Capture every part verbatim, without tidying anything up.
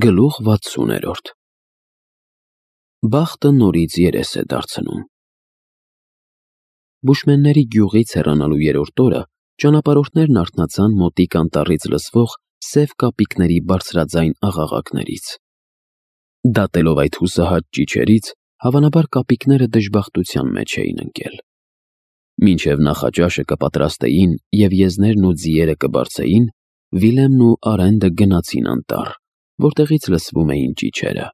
Գլուխ վաթսուներորդ Բախտը նորից երես է դարձնում։ Բուշմենների գյուղից հեռանալու երրորդ օրը ճանապարհորդներն արթնացան մոտիկ անտառից լսվող սև կապիկների բարձրաձայն աղաղակներից։ Դատելով այդ հուսահատ ճիչերից, հավանաբար կապիկները դժբախտության մեջ էին ընկել։ Մինչև նախաճաշը կպատրաստեին և եզներն ու ձիերը կբարձեին, Վիլեմն ու Արենդը գնացին անտառ, որտեղից լսվում էին ճիչերը։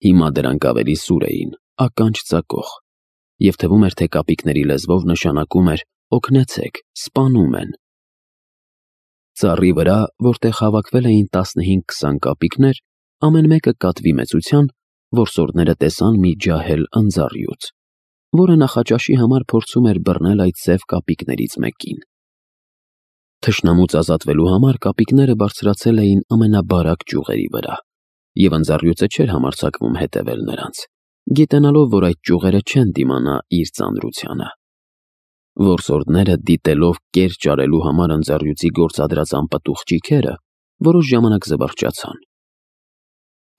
Հիմա դրանք ավելի սուր էին, ականջ ծակող, և թվում էր, թե կապիկների լեզվով նշանակում էր «օգնեցեք, սպանում են»։ Ծառի վրա, որտեղ հավաքվել էին տասնհինգ-քսան կապիկներ, ամեն մեկը կատվի մեծության, որսորդները տեսան մի ջահել ընձառյուծ, որը նախաճաշի համար փորձում էր բռնել այդ սև կապիկներից մեկին։ Թշնամուց ազատվելու համար կապիկները բարձրացել էին ամենաբարակ ճյուղերի վրա, և ընձառյուծը չէր համարձակվում հետևել նրանց, գիտենալով, որ այդ ճյուղերը չեն դիմանա իր ծանրությանը։ Որսորդները, դիտելով կեր ճարելու համար ընձառյուծի գործադրած անպտուղ ճիգերը, որոշ ժամանակ զվարճացան։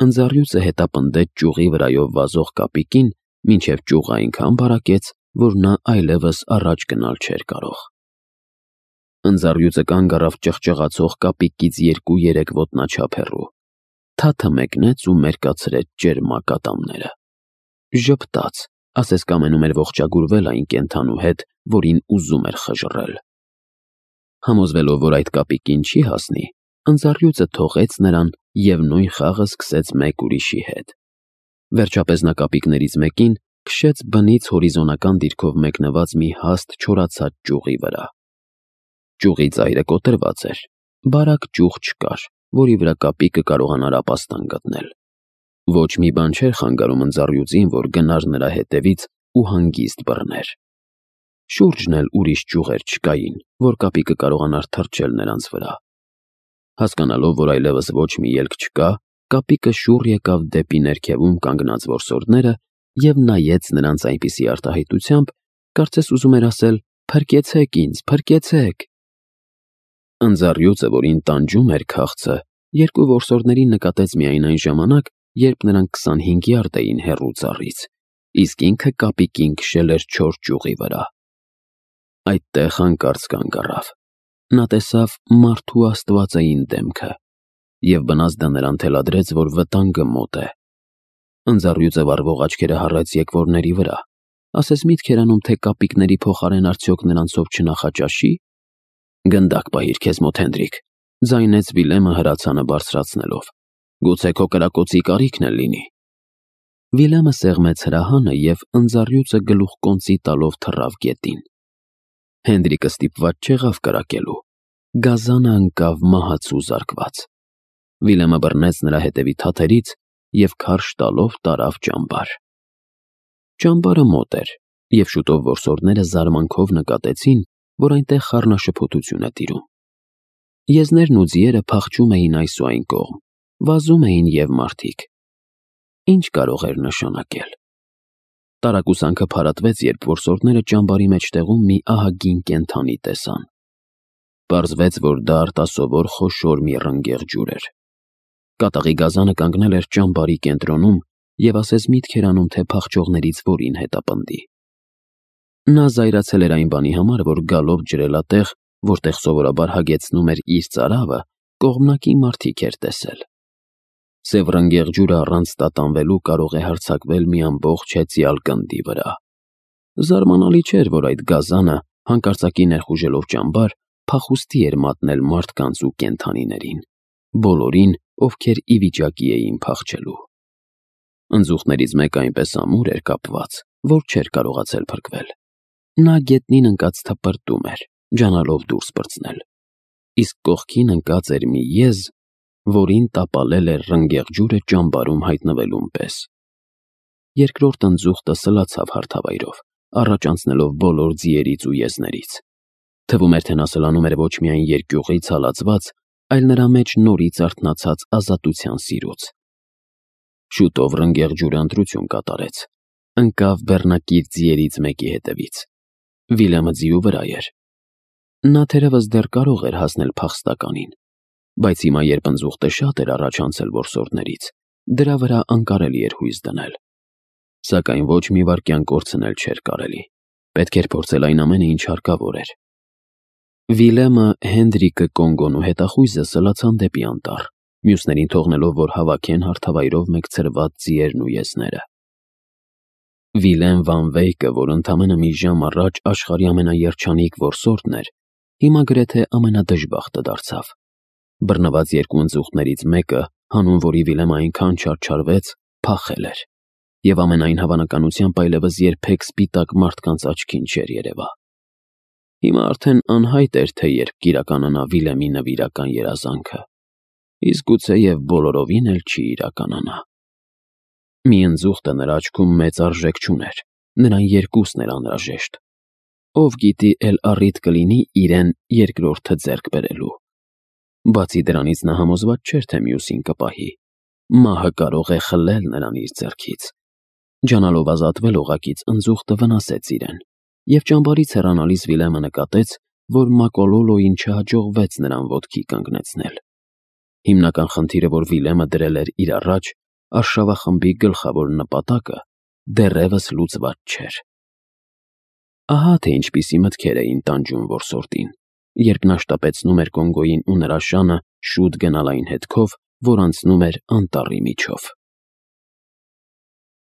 Ընձառյուծը հետապնդեց ճյուղի վրայով վազող կապիկին, մինչև ճյուղը այնքան բարակեց, որ նա այլևս առաջ գնալ չէր կարող։ Ընձառյուծը կանգ առավ ճղճղացող կապիկից երկու-երեք ոտնաչափ հեռու, թաթը մեկնեց ու մերկացրեց ճերմակ ատամները։ Ժպտաց, ասես կամենում էր ողջագուրվել այն կենդանու հետ, որին ուզում էր խժռել։ Համոզվելով, որ այդ կապիկին չի հասնի, ընձառյուծը թողեց նրան և նույն խաղը սկսեց մեկ ուրիշի հետ։ Վերջապես նա կապիկներից մեկին քշեց բնից հորիզոնական դիրքով մեկնված մի հաստ չորացած ճյուղի վրա։ Ճյուղի ծայրը կոտրված էր, բարակ ճյուղ չկար, որի վրա կապիկը կարողանար ապաստան գտնել։ Ոչ մի բան չէր խանգարում ընձառյուծին, որ գնար նրա հետևից ու հանգիստ բռներ։ Շուրջն էլ ուրիշ ճյուղեր չկային, որ կապիկը կարողանար թռչել նրանց վրա։ Հասկանալով, որ այլևս ոչ մի ելք չկա, կապիկը շուռ եկավ դեպի ներքևում կանգնած որսորդները և նայեց նրանց այնպիսի արտահայտությամբ, կարծես ուզում էր ասել. «Փրկեցեք ինձ, փրկեցեք»։ Ընձառյուծը, որին տանջում էր քաղցը, երկու որսորդներին նկատեց միայն այն ժամանակ, երբ նրանք քսանհինգ յարդ էին հեռու ծառից, իսկ ինքը կապիկին քշել էր չոր ճյուղի վրա։ Այդտեղ հանկարծ կանգ առավ։ Նա տեսավ մարդու աստվածային դեմքը, և բնազդը նրան թելադրեց, որ վտանգը մոտ է։ Ընձառյուծը վառվող աչքերը հառեց եկվորների վրա, ասես միտք էր անում, թե կապիկների փոխարեն արդյոք նրանցով չնախաճաշի։ «Գնդակ պահիր քեզ մոտ, Հենդրիկ», ձայնեց Վիլեմը հրացանը բարձրացնելով։ «Գուցե քո կրակոցի կարիքն էլ լինի»։ Վիլեմը սեղմեց հրահանը և ընձառյուծը գլուխկոնծի տալով թռավ գետին։ Հենդրիկը ստիպված չեղավ կրակելու։ Գազանը ընկավ մահացու զարկված։ Վիլեմը բռնեց նրա հետևի թաթերից և քարշ տալով տարավ ճամբար։ Ճամբարը մոտ էր, և շուտով որսորդները զարմանքով նկատեցին, որ այնտեղ խառնաշփոթություն է տիրում։ Եզներն ու ձիերը փախչում էին այս ու այն կողմ, վազում էին և մարդիկ։ Ինչ կարող էր նշանակել։ Տարակուսանքը փարատվեց, երբ որսորդները ճամբարի մեջտեղում մի ահագին կենդանի տեսան։ Պարզվեց, որ դա արտասովոր խոշոր մի ռնգեղ ջուր էր։ Կատաղի գազանը կանգնել էր ճամբարի կենտրոնում և ասես միտք էր անում, թե փախչողներից որին հետապնդի։ Նա զայրացել էր այն բանի համար, որ գալով ջրելատեղ, որտեղ սովորաբար հագեցնում էր իր ծարավը, կողմնակի մարդիկ էր տեսել։ Սև ռնգեղ ջուրը առանց տատանվելու կարող է հարձակվել մի ամբողջ հեծյալ գնդի վրա։ Զարմանալի չէր, որ այդ գազանը, հանկարծակի ներխուժելով ճամբար, փախուստի էր մատնել մարդկանց ու կենդանիներին, բոլորին, ովքեր ի վիճակի էին փախչելու։ Ընձուղտներից մեկը այնպես ամուր էր կապված, որ չէր կարողացել փրկվել։ Նա գետնին ընկած թպրտում էր, ջանալով դուրս պրծնել, իսկ կողքին ընկած էր մի եզ, որին տապալել էր ռնգեղ ջուրը ճամբարում հայտնվելուն պես։ Երկրորդ ընձուղտը սլացավ հարթավայրով, առաջ անցնելով բոլոր ձիերից ու եզներից։ Թվում էր, թե նա սլանում էր ոչ միայն երկյուղից հալածված, այլ նրա մեջ նորից արթնացած ազատության սիրուց։ Շուտով ռնգեղ ջուրը ընտրություն կատարեց, ընկավ բեռնակիր ձիերից մեկի հետևից։ Վիլեմը ձիու վրա էր։ Նա թերևս դեռ կարող էր հասնել փախստականին, բայց հիմա երբ ընձուղտը շատ էր առաջ անցել որսորդներից, դրա վրա անկարելի էր հույս դնել։ Սակայն ոչ մի վայրկյան կորցնել չէր կարելի, պետք էր փորձել այն ամենը, ինչ հարկավոր էր։ Վիլեմը, Հենրիկը, Կոնգոն ու հետախույզը սլացան դեպի անտառ, մյուսներին թողնելով, որ հավաքեն հարթավայրով մեկ ցրված ձիերն ու եզները։ Վիլեմ վան Վեյկը, որ ընդամենը մի ժամ առաջ աշխարհի ամենաերջանիկ որսորդն էր, հիմա գրեթե ամենադժբախտը դարձավ։ Բռնված երկու ընձուղտներից մեկը, հանուն որի Վիլեմը այնքան չարչարվեց, փախել էր, և ամենայն հավանականությամբ այլևս երբեք սպիտակ մարդկանց աչքին չէր երևա։ Հիմա արդեն անհայտ էր, թե երբ կիրականանա Վիլեմի նվիրական երազանքը, իսկ գուցեև բոլորովին էլ չի իրականանա։ Մի ընձուղտը նրա աչքում մեծ արժեք չուներ, նրան երկուսն էր անհրաժեշտ։ Ով գիտի էլ առիթ կլինի իրեն երկրորդը ձեռք բերելու։ Բացի դրանից նա համոզված չէր, թե մյուսին կպահի։ Մահը կարող է խլել նրան իր ձեռքից։ Ջանալով ազատվել օղակից, ընձուղտը վնասեց իրեն, և ճամբարից հեռանալիս Վիլեմը նկատեց, որ Մակոլոլոյին չհաջողվեց նրան ոտքի կանգնեցնել։ Հիմնական խնդիրը, որ Վիլեմը դրել էր իր առաջ, արշավախմբի գլխավոր նպատակը, դեռևս լուծված չէր։ Ահա թե ինչպիսի մտքեր էին տանջում որսորդին, երբ նա շտապեցնում էր Կոնգոյին ու նրա շանը շուտ գնալ այն հետքով, որ անցնում էր անտառի միջով։